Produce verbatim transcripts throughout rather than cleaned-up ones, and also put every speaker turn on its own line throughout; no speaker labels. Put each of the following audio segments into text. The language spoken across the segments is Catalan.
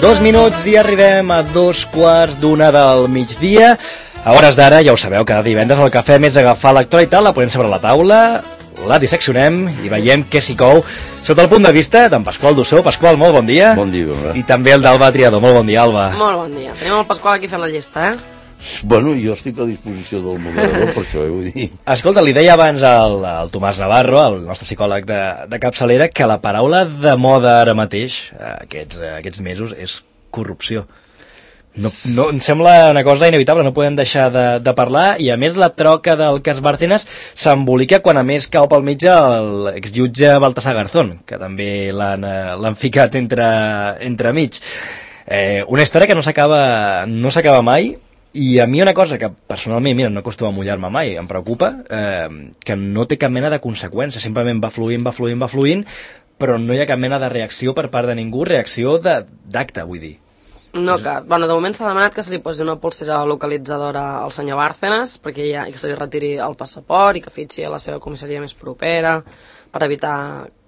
Dos minuts i arribem a dos quarts d'una del migdia. A hores d'ara, ja ho sabeu, cada divendres el que fem és agafar l'actualitat, la posem sobre la taula, la disseccionem i veiem què s'hi cou sota el punt de vista d'en Pasqual Dussó. Pasqual, molt bon dia.
Bon dia, bon dia.
I també el d'Alba Triador. Molt bon dia, Alba.
Molt bon dia. Tenim el Pasqual aquí fent la llista, eh?
Bueno, jo estic a disposició del moderador, per això, eh, vull dir.
Escolta, li deia abans al, al Tomàs Navarro, el nostre psicòleg de, de capçalera, que la paraula de moda ara mateix, aquests, aquests mesos, és corrupció. No, no, em sembla una cosa inevitable, no podem deixar de, de parlar, i a més la troca del cas Bárcenas s'embolica quan a més cau pel mig l'exjutge Baltasar Garzón, que també l'han, l'han ficat entre, entre mig. Eh, una història que no s'acaba no s'acaba mai. I a mi una cosa que personalment, mira, no acostuma a mullar-me mai, em preocupa, eh, que no té cap mena de conseqüència, simplement va fluint, va fluint, va fluint, però no hi ha cap mena de reacció per part de ningú, reacció d'acte, vull dir.
No cap. Bueno, de moment s'ha demanat que se li posi una polsera localitzadora al senyor Bárcenas, perquè ja, que se li retiri el passaport i que fitxi a la seva comissaria més propera per evitar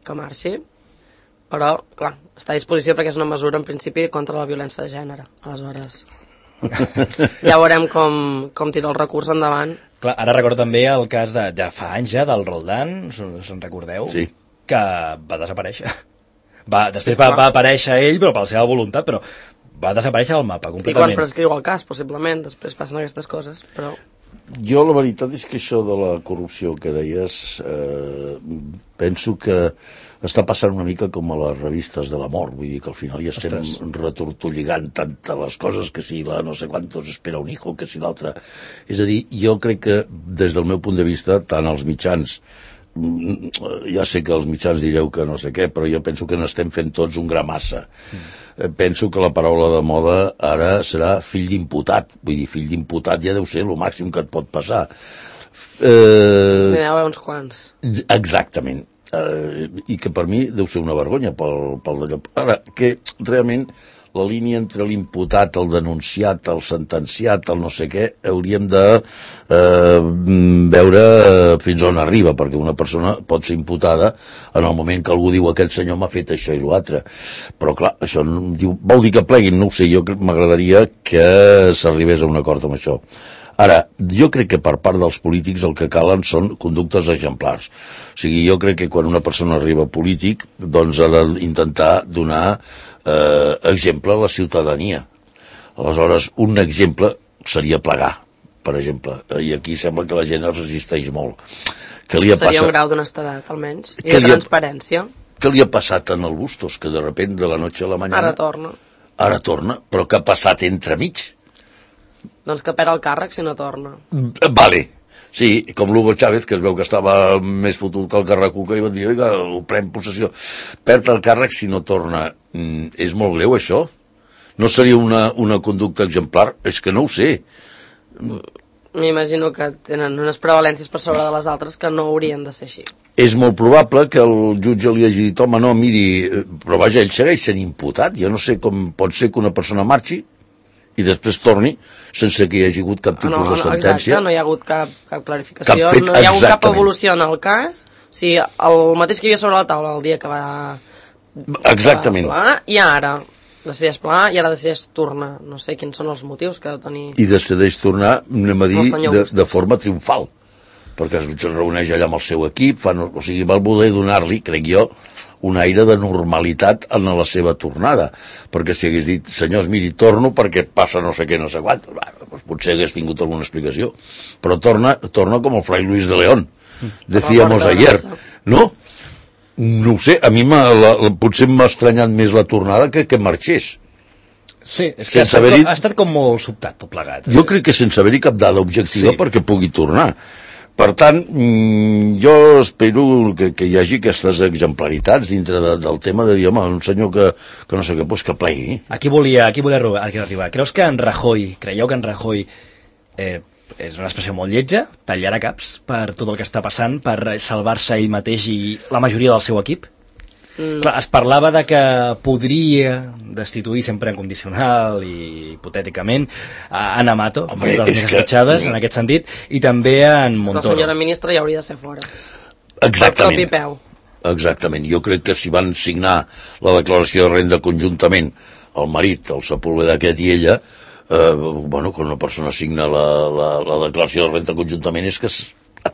que marxi. Però, clar, està a disposició perquè és una mesura, en principi, contra la violència de gènere. Aleshores... ja veurem com, com tira el recurs endavant.
Clar, ara recordo també el cas de, de fa anys ja, del Roldán, se'n recordeu?
Sí.
Que va desaparèixer. Va, després sí, va, va aparèixer ell, però per la seva voluntat, però va desaparèixer del mapa completament.
I quan prescriu el cas, possiblement, després passen aquestes coses, però...
Jo la veritat és que això de la corrupció que deies, eh, penso que està passant una mica com a les revistes de l'amor, vull dir que al final ja estem Ostres. retortolligant tantes les coses, que si la no sé quantos espera un hijo, que si l'altre... És a dir, jo crec que des del meu punt de vista, tant els mitjans, ja sé que els mitjans direu que no sé què, però jo penso que n'estem fent tots un gra massa. Mm. Penso que la paraula de moda ara serà fill d'imputat, vull dir, fill d'imputat ja deu ser el màxim que et pot passar.
Eh... N'hi ha uns quants.
Exactament. Uh, i que per mi deu ser una vergonya pel, pel d'allò. Ara, que realment la línia entre l'imputat, el denunciat, el sentenciat, el no sé què, hauríem de uh, veure fins on arriba, perquè una persona pot ser imputada en el moment que algú diu aquest senyor m'ha fet això i l'altre. Però clar, això diu, vol dir que pleguin, no ho sé, jo m'agradaria que s'arribés a un acord amb això. Ara, jo crec que per part dels polítics el que calen són conductes exemplars. O sigui, jo crec que quan una persona arriba a polític, doncs ha d'intentar donar eh, exemple a la ciutadania. Aleshores, un exemple seria plegar, per exemple. I aquí sembla que la gent es resisteix molt. Que li ha
Seria
passat...
un grau d'honestedat, almenys, i de transparència.
Ha... Què li ha passat en el Bustos? Que de repente, de la noche a la mañana...
Ara torna.
Ara torna, però què ha passat entremig?
Doncs que perd el càrrec si no torna.
Vale, sí, com l'Hugo Chávez, que es veu que estava més fotut que el Carracuca i van dir, oiga, ho pren possessió. Perd el càrrec si no torna. Mm, és molt greu, això? No seria una, una conducta exemplar? És que no ho sé.
M'imagino que tenen unes prevalències per sobre de les altres que no haurien de ser així.
És molt probable que el jutge li hagi dit, home, no, miri, però vaja, ell segueix sent imputat. Jo no sé com pot ser que una persona marxi i després torni sense que hi hagi hagut cap tipus no, no, de sentència.
Exacte, no hi ha hagut cap, cap clarificació, cap fet, no hi ha hagut cap evolució en el cas. O sigui, el mateix que hi havia sobre la taula el dia que va...
Exactament.
Que va plegar, i ara decideix plegar i ara decideix tornar. No sé quins són els motius que deu tenir...
I decideix tornar, anem a dir, de, de forma triomfal, perquè es reuneix allà amb el seu equip, fan, o sigui, va voler donar-li, crec jo, un aire de normalitat en la seva tornada, perquè si hagués dit, senyors, miri, torno perquè passa no sé què, no sé quant, doncs potser hagués tingut alguna explicació, però torna, torna com el Fray Luis de León, decíamos ayer, no? No ho sé, a mi la, la, potser m'ha estranyat més la tornada que que marxés.
Sí, és que ha estat, com, ha estat com molt sobtat tot plegat.
Jo crec que sense haver-hi cap dada objectiva sí. perquè pugui tornar. Per tant, jo espero que, que hi hagi aquestes exemplaritats dintre de, del tema de dir, home, un senyor que, que no sé què, doncs que plegui.
Aquí volia, aquí volia arribar. Creus que en Rajoy, creieu que en Rajoy eh, és una expressió molt lletja, tallarà caps per tot el que està passant, per salvar-se ell mateix i la majoria del seu equip? Mm. Clar, es parlava de que podria destituir sempre en condicional i hipotèticament a Ana Mato, Home, de les més esquitxades que... en aquest sentit, i també en Montoro.
La senyora ministra ja hauria de ser fora.
Exactament.
Per
Exactament. Jo crec que si van signar la declaració de renda conjuntament el marit, el Sepúlveda aquest i ella, eh, bueno, quan una persona signa la, la, la declaració de renta conjuntament és que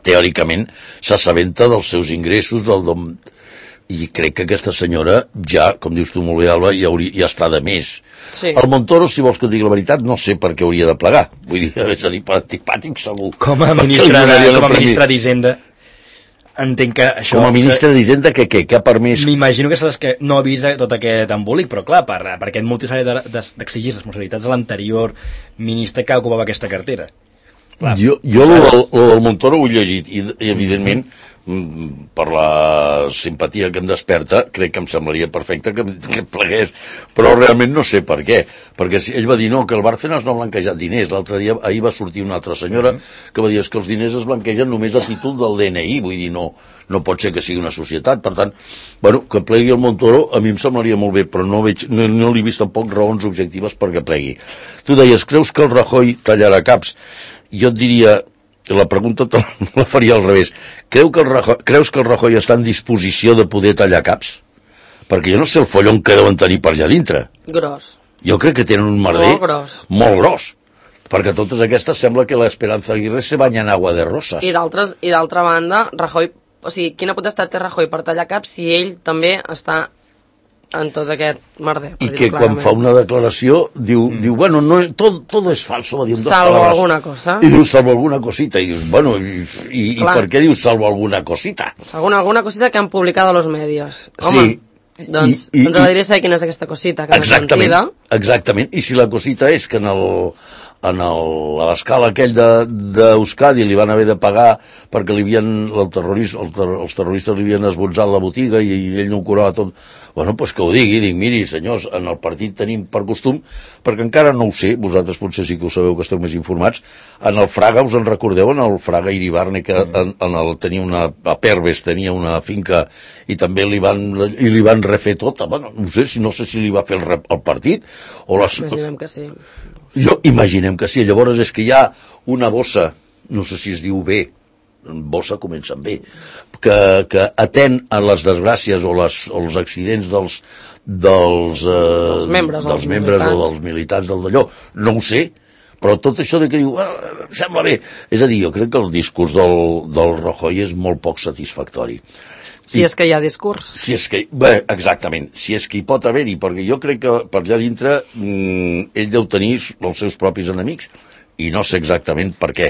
teòricament s'assabenta dels seus ingressos, del dom... i crec que aquesta senyora ja, com dius tu molt bé, Alba, ja, hauria, ja està de més.
Sí.
El Montoro, si vols que et digui la veritat, no sé per què hauria de plegar. Vull dir, és a dir, per antipàtic segur.
Com a ministre, com a ministre d'Hisenda, entenc que això...
Com a ministre d'Hisenda, que què? Que ha permès...
M'imagino que és que no avisa tot aquest embolic, però clar, per, per aquest motiu s'ha d'exigir responsabilitats a l'anterior ministre que ocupava aquesta cartera.
Clar, jo jo el del, del Montoro ho he llegit i, i evidentment per la simpatia que em desperta crec que em semblaria perfecte que, que plegués, però realment no sé per què, perquè si ell va dir no, que el Bárcenas no ha blanquejat diners. L'altre dia, ahir va sortir una altra senyora que va dir que els diners es blanquegen només a títol del D N I, vull dir, no, no pot ser que sigui una societat. Per tant, bueno, que plegui el Montoro a mi em semblaria molt bé, però no, veig, no, no li he vist tampoc raons objectives perquè plegui. Tu deies, creus que el Rajoy tallarà caps? Jo et diria, la pregunta te la faria al revés. Creu que el Rajoy, creus que el Rajoy està en disposició de poder tallar caps? Perquè jo no sé el follon que deuen tenir per allà dintre.
Gros.
Jo crec que tenen un merder
molt gros.
Molt gros. Perquè totes aquestes sembla que l'Esperanza Aguirre se banya en agua de roses.
I d'altres, i d'altra banda, Rajoy, o sigui, quina potestat té Rajoy per tallar caps si ell també està en tot aquest merder.
I que quan fa una declaració diu, mm. diu bueno, no, todo, todo es falso, va dir amb dos
salvo
palabras.
Alguna cosa.
I diu salvo alguna cosita, i dius, bueno, i, i, i per què diu salvo alguna cosita?
Alguna, alguna cosita que han publicado los medios. Home, sí. Doncs, I, i, doncs agradaria saber quina és aquesta cosita que
exactament,
mentida.
Exactament, i si la cosita és que en el en el, a l'escala aquell d'Euskadi li van haver de pagar perquè li havien, el terrorista, el ter, els terroristes li havien esbotzat la botiga i, i ell no ho curava tot. Bueno, doncs que ho digui, dic, miri, senyors, en el partit tenim per costum, perquè encara no ho sé, vosaltres potser sí que ho sabeu que esteu més informats, en el Fraga, us en recordeu, en el Fraga Iribarne, que en, en el, tenia una, a Perves tenia una finca i també li van, i li van refer tota, bueno, no sé, si no sé si li va fer el, el partit, o les...
Imaginem que sí.
Jo, imaginem que sí, llavors és que hi ha una bossa, no sé si es diu B, bossa comença amb B, que, que atén a les desgràcies o, les, o els accidents dels, dels, eh,
dels membres,
dels membres o dels militants del d'allò, no ho sé, però tot això de que diu, ah, sembla bé, és a dir, jo crec que el discurs del, del Rajoy és molt poc satisfactori.
Si I, és que hi ha discurs.
Si és que, bé, exactament, si és que hi pot haver-hi, perquè jo crec que per allà dintre mmm, ell deu tenir els seus propis enemics, i no sé exactament per què.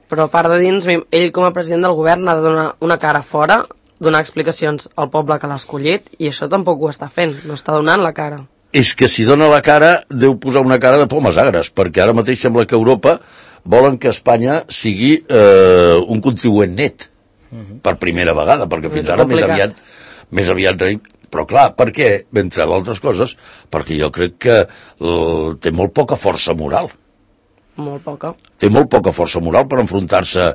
Però a part de dins, ell com a president del govern ha de donar una cara fora, donar explicacions al poble que l'ha escollit, i això tampoc ho està fent, no està donant la cara.
És que si dona la cara, deu posar una cara de pomes agres, perquè ara mateix sembla que Europa volen que Espanya sigui eh, un contribuent net, uh-huh. per primera vegada, perquè fins ara més aviat, més aviat però clar, per què? Entre d'altres coses, perquè jo crec que eh, té molt poca força moral.
Molt poca.
Té molt poca força moral per enfrontar-se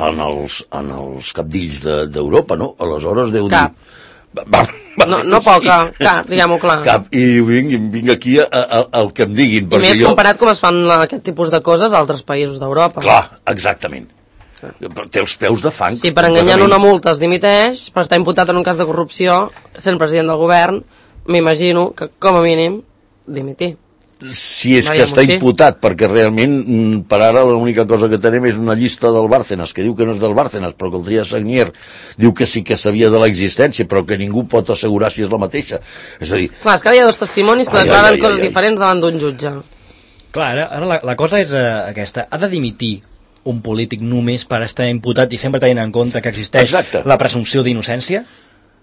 en els, en els capdills d'Europa, no? Aleshores deu
cap.
dir... Va, va,
no, no poca, sí. Cap, diguem-ho clar.
Cap, i vinc, vinc aquí a, a, a, al que em diguin.
I més jo... comparat com es fan aquest tipus de coses a altres països d'Europa.
Clar, exactament. Té els peus de fang.
Si per enganyar una multa es dimiteix, per estar imputat en un cas de corrupció, sent president del govern, m'imagino que, com a mínim, dimitir.
Si és que està imputat, perquè realment per ara l'única cosa que tenim és una llista del Bárcenas, que diu que no és del Bárcenas, però que el Trias Sagnier diu que sí que sabia de l'existència, però que ningú pot assegurar si és la mateixa. És a dir...
Clar, és que ara hi ha dos testimonis que ai, declaren ai, ai, coses ai, ai. diferents davant d'un jutge.
Clar, ara, ara la, la cosa és uh, aquesta. Ha de dimitir un polític només per estar imputat i sempre tenint en compte que existeix Exacte. la presumpció d'innocència?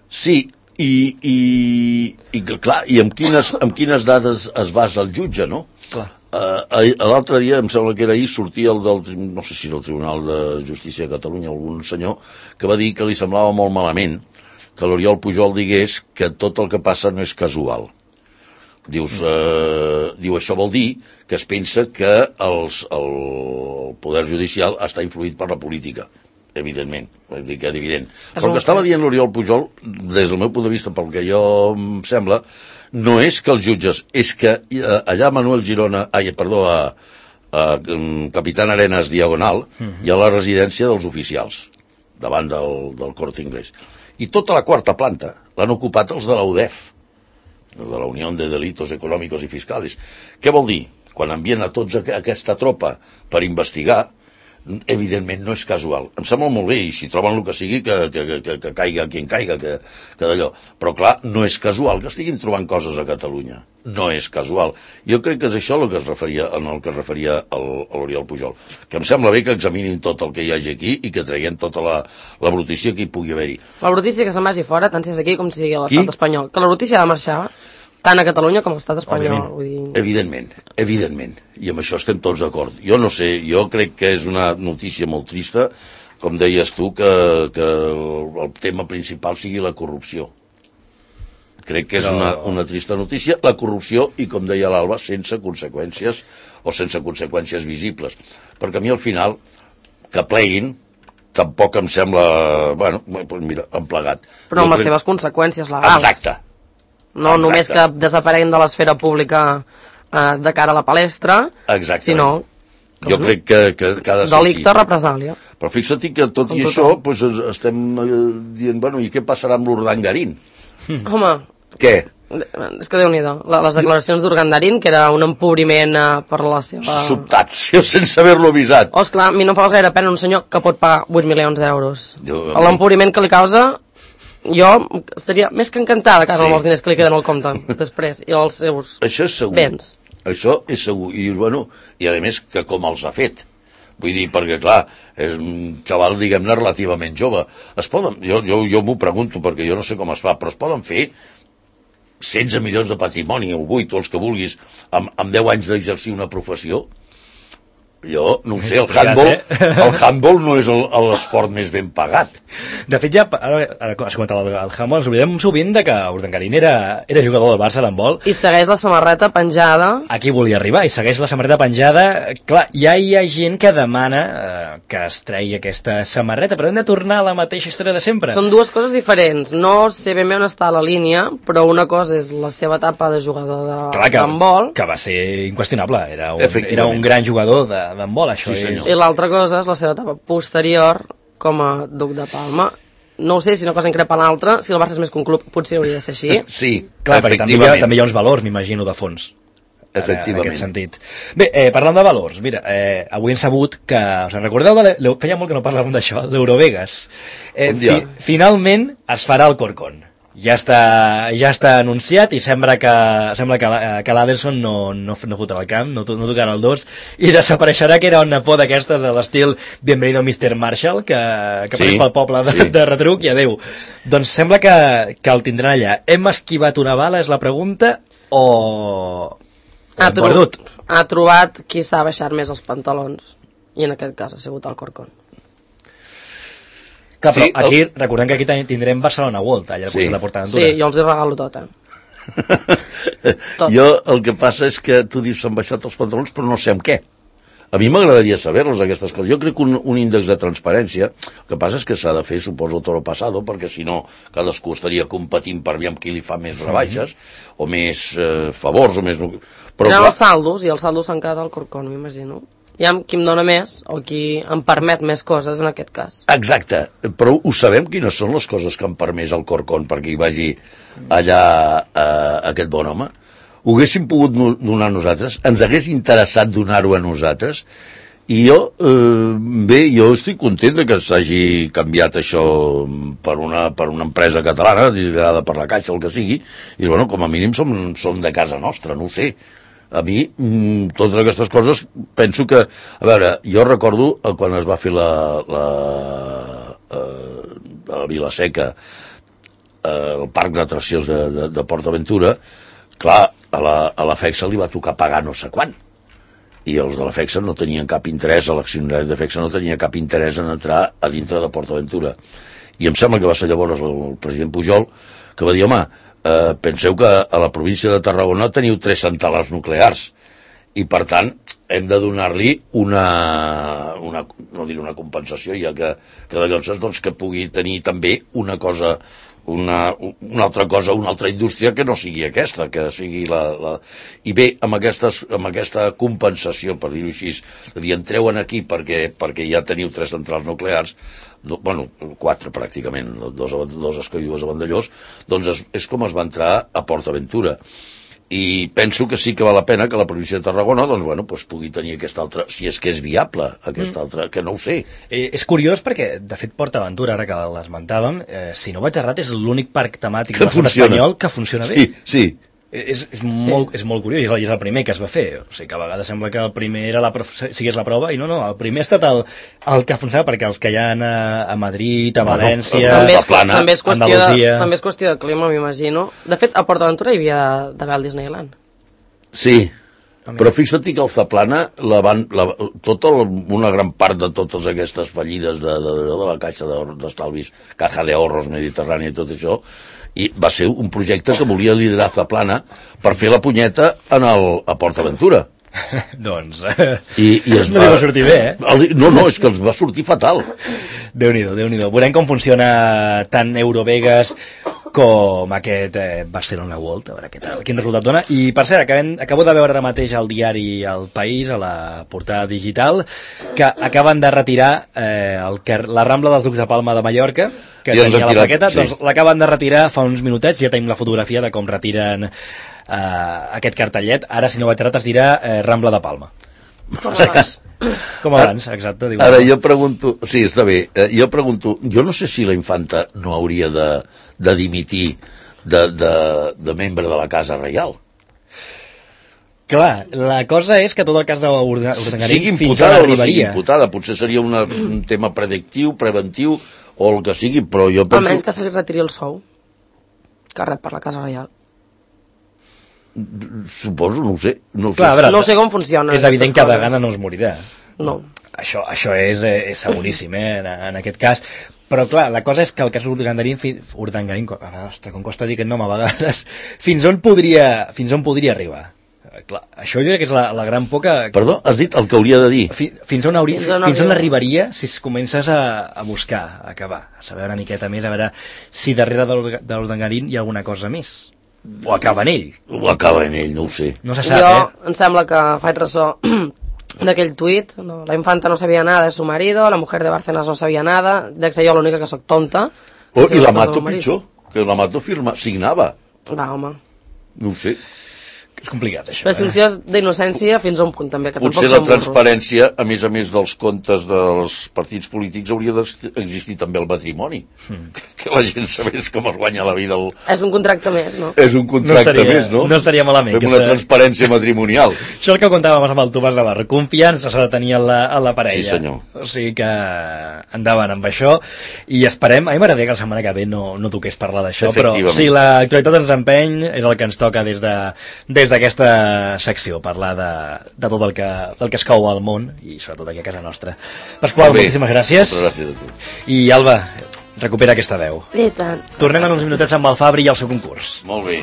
Sí, i, i, i clar, i amb quines, amb quines dades es basa el jutge, no?
Clar.
Uh, l'altre dia, em sembla que era ahir, sortia el del, no sé si és el Tribunal de Justícia de Catalunya, algun senyor, que va dir que li semblava molt malament que l'Oriol Pujol digués que tot el que passa no és casual. Dius, uh, diu, això vol dir que es pensa que els, el poder judicial està influït per la política. Evidentment, vull dir que és evident. Però el que estava dient l'Oriol Pujol, des del meu punt de vista, pel que jo em sembla, no és que els jutges, és que allà a Manuel Girona, ai, perdó, a, a Capitán Arenas Diagonal, uh-huh. hi ha la residència dels oficials, davant del, del Corte Inglés. I tota la quarta planta l'han ocupat els de la U D E F. de la Unió de Delitos Econòmicos i Fiscals. Què vol dir? Quan envien a tots a aquesta tropa per investigar, evidentment no és casual. Em sembla molt bé, i si troben el que sigui, que, que, que, que caiga qui en caiga, que, que d'allò. Però clar, no és casual que estiguin trobant coses a Catalunya. No és casual. Jo crec que és això el que es referia, en el que es referia l'Oriol Pujol. Que em sembla bé que examinin tot el que hi hagi aquí i que traguem tota la, la brutícia que hi pugui haver-hi.
La brutícia que se'n vagi fora, tant si és aquí com si sigui a l'estat espanyol. Que la brutícia ha de marxar tant a Catalunya com a l'estat espanyol. Vull dir...
Evidentment, evidentment. I amb això estem tots d'acord. Jo no sé, jo crec que és una notícia molt trista, com deies tu, que, que el tema principal sigui la corrupció. Crec que és una, una trista notícia. La corrupció, i com deia l'Alba, sense conseqüències o sense conseqüències visibles. Perquè a mi al final, que pleguin, tampoc em sembla, bueno, mira, emplegat.
Però amb
jo
les
crec...
seves conseqüències legals.
Exacte.
No Exacte. Només que desapareguin de l'esfera pública eh, de cara a la palestra,
Exactament.
sinó...
Jo no? crec que, que, que ha de ser
delicte,
així.
represàlia.
Però fixa't que tot i això pues, estem eh, dient, bueno, i què passarà amb l'Urdangarín?
Mm. Home...
Què?
És que Déu-n'hi-do. Les declaracions d'Urdangarín, que era un empobriment eh, per la seva...
Sobtats, jo sense haver-lo avisat.
Oh, esclar, a mi no em fa gaire pena un senyor que pot pagar vuit milions d'euros.
Jo...
L'empobriment que li causa... Jo estaria més que encantada que sí. amb els diners que li queden al compte després i els seus
Això és segur.
béns.
Això és segur. I dius, bueno, i a més que com els ha fet. Vull dir, perquè clar, és un xaval, diguem-ne, relativament jove. Es poden, jo, jo, jo m'ho pregunto perquè jo no sé com es fa, però es poden fer setze milions de patrimoni o vuit o els que vulguis amb, amb deu anys d'exercir una professió? Jo no ho sé, el handball, el handball no és l'esport més ben pagat.
De fet, ja, ara, ara has comentat el, el handball, ens oblidem sovint de que Urdangarín era, era jugador del Barça d'handball.
I segueix la samarreta penjada.
Aquí volia arribar, i segueix la samarreta penjada. Clar, ja hi ha gent que demana eh, que es tregui aquesta samarreta, però hem de tornar a la mateixa història de sempre.
Són dues coses diferents. No sé ben bé on està la línia, però una cosa és la seva etapa de jugador d'handball.
Que, que va ser inqüestionable, era un, era un gran jugador de d'handbol, això sí, és...
I l'altra cosa és la seva etapa posterior com a duc de Palma. No ho sé, si una cosa increpa l'altra, si el Barça és més que un club, potser hauria de ser així.
Sí,
clar, perquè també hi, ha, també hi ha uns valors, m'imagino, de fons.
Efectivament.
En aquest sentit. Bé, eh, parlant de valors, mira, eh, avui hem sabut que, us en recordeu, de le, feia molt que no parlàvem d'això, d'Eurovegas. Eh, fi, finalment es farà el Corcón. Ja està, ja està anunciat i sembla que, sembla que, que l'Adelson no, no, no fotrà el camp, no, no tocarà el dos i desapareixerà, que era una por d'aquestes a l'estil Bienvenido mister Marshall, que, que sí, apareix pel poble de, sí. de retruc i adeu. Doncs sembla que, que el tindran allà. Hem esquivat una bala, és la pregunta, o...
Ha, tro perdut? Ha trobat qui s'ha baixat més els pantalons, i en aquest cas ha sigut el Corcón.
Clar, però sí, aquí, el... recordem que aquí tindrem Barcelona World, allà al sí. costat de PortAventura.
Sí, jo els hi regalo tot, eh?
tot. Jo el que passa és que tu dius s'han baixat els pantalons, però no sé amb què. A mi m'agradaria saber-los, aquestes coses. Jo crec que un, un índex de transparència, el que passa és que s'ha de fer, suposo, toro passado, perquè si no cadascú estaria competint per veure qui li fa més rebaixes, mm-hmm. o més eh, favors, o més...
Però, clar... els saldos, i els saldos s'han quedat al Corcón, m'imagino. Hi ha qui em dona més o qui em permet més coses en aquest cas.
Exacte, però ho sabem quines són les coses que em permès el Corcón perquè hi vagi allà eh, aquest bon home. Ho haguéssim pogut donar a nosaltres, ens hagués interessat donar-ho a nosaltres, i jo, eh, bé, jo estic content de que s'hagi canviat això per una, per una empresa catalana, liderada per la Caixa, el que sigui, i bueno, com a mínim som, som de casa nostra, no ho sé. A mi, totes aquestes coses, penso que... A veure, jo recordo quan es va fer la... la eh, a Vilaseca, eh, el parc d'atraccions de, de, de PortAventura, clar, a la, a la FEXA li va tocar pagar no sé quant. I els de la FEXA no tenien cap interès, l'accionari de FEXA no tenia cap interès en entrar a dintre de PortAventura. I em sembla que va ser llavors el president Pujol que va dir, home, Uh, penseu que a la província de Tarragona teniu tres centrals nuclears i per tant hem de donar-li una, una no diré una compensació, ja que, que de llavors doncs, que pugui tenir també una cosa, una, una altra cosa, una altra indústria que no sigui aquesta, que sigui la... la... I bé, amb, aquestes, amb aquesta compensació, per dir-ho així, és a dir, entreu aquí perquè, perquè ja teniu tres centrals nuclears, no, bueno, quatre pràcticament, dos, dos Escó i dues a Vandellós, doncs és, és com es va entrar a PortAventura. I penso que sí que val la pena que la província de Tarragona doncs, bueno, doncs pugui tenir aquesta altra, si és que és viable, aquesta mm. altra, que no ho sé.
Eh, és curiós perquè, de fet, PortAventura, ara que l'esmentàvem, eh, si no vaig errat, és l'únic parc temàtic de l'estat espanyol que funciona bé.
Sí, sí.
És, és, molt, sí. és molt curiós, i és, el, és el primer que es va fer. O sigui que a vegades sembla que el primer era la, sigués la prova, i no, no, el primer ha estat el, el que ha funcionat, perquè els que hi ha a, a Madrid, a València,
no, no, també, és,
Plana,
també, és qüestió de, també és qüestió de clima, m'imagino. De fet, a PortAventura hi havia d'haver el Disneyland.
Sí, però fixa't que el Zaplana, la van, la, tota el, una gran part de totes aquestes fallides de, de, de, de la Caixa d'Estalvis, Caja de Ahorros Mediterrània i tot això, i va ser un projecte que volia liderar Zaplana per fer la punyeta en el, a PortAventura.
doncs...
I, i es
no
va,
va sortir bé, eh?
El, no, no, és que els va sortir fatal.
Déu-n'hi-do, Déu-n'hi-do. Veurem com funciona tant Eurovegas com aquest eh, Barcelona World, a veure què tal, quin resultat dona. I, per cert, acabem, acabo de veure ara mateix al diari El País, a la portada digital, que acaben de retirar eh, el, la Rambla dels Ducs de Palma de Mallorca, que I tenia la plaqueta, sí. Doncs l'acaben de retirar fa uns minutets, ja tenim la fotografia de com retiren eh, aquest cartellet. Ara, si no vaig errat, es dirà eh, Rambla de Palma.
Com abans.
Com abans, exacte. Diu,
ara jo pregunto, sí, està bé, eh, jo pregunto, jo no sé si la infanta no hauria de, de dimitir de, de, de membre de la Casa Reial.
Clar, la cosa és que tot el cas d'Urdangarín
sigui imputada o no sigui imputada, potser seria una, un tema predictiu, preventiu, o el que sigui, però jo penso...
Almenys que se li retiri el sou que rep per la Casa Reial.
Suposo, no ho sé. No, ho
Clar,
sé.
veure,
no sé com funciona.
És evident que de gana no es morirà.
No.
Això, això és, és seguríssim, eh, en, en aquest cas. Però, clar, la cosa és que el cas Urdangarín, Urdangarín, ostres, com costa dir aquest nom a vegades, fins on podria, fins on podria arribar? Clar, això jo crec que és la, la gran por que...
Perdó, has dit el que hauria de dir?
Fi, fins on, hauria, fins on, fins on arribaria si es comences a, a buscar, a acabar, a saber una miqueta més, a veure si darrere de l'Urdangarín hi ha alguna cosa més. O acaba en ell.
O acaba en ell, no ho sé.
No se sap,
jo
eh?
Em sembla que faig ressò d'aquell tuit, no? La infanta no sabia nada de su marido, la mujer de Bárcenas no sabia nada, dec ser jo l'única que sóc tonta.
Oh, i la Mato pitjor, que la Mato firma, signava.
Va, home.
No ho sé.
És complicat, això.
Presumpció eh? d'innocència fins a un punt, també. Que
potser la transparència, a més a més dels comptes dels partits polítics, hauria d'existir també el matrimoni. Mm. Que la gent sabés com es guanya la vida. El...
És un contracte més, no?
És un contracte
no estaria,
més, no?
No estaria malament.
Fem una transparència matrimonial.
Això és el que contàvem amb el Tomàs Navarro. Confiança s'ha de tenir en la, en la parella.
Sí, senyor.
O sigui que endavant amb això. I esperem... A mi m'agradaria que la setmana que ve no, no toqués parlar d'això, però si l'actualitat ens empeny, és el que ens toca des de... Des d'aquesta secció, parlar de, de tot el que, del que es cou al món i sobretot aquí a casa nostra. Pasqual, moltíssimes gràcies.
gràcies a tu.
I Alba, recupera aquesta veu.
I tant.
Tornem en uns minutets amb el Fabri i el seu concurs.
Molt bé.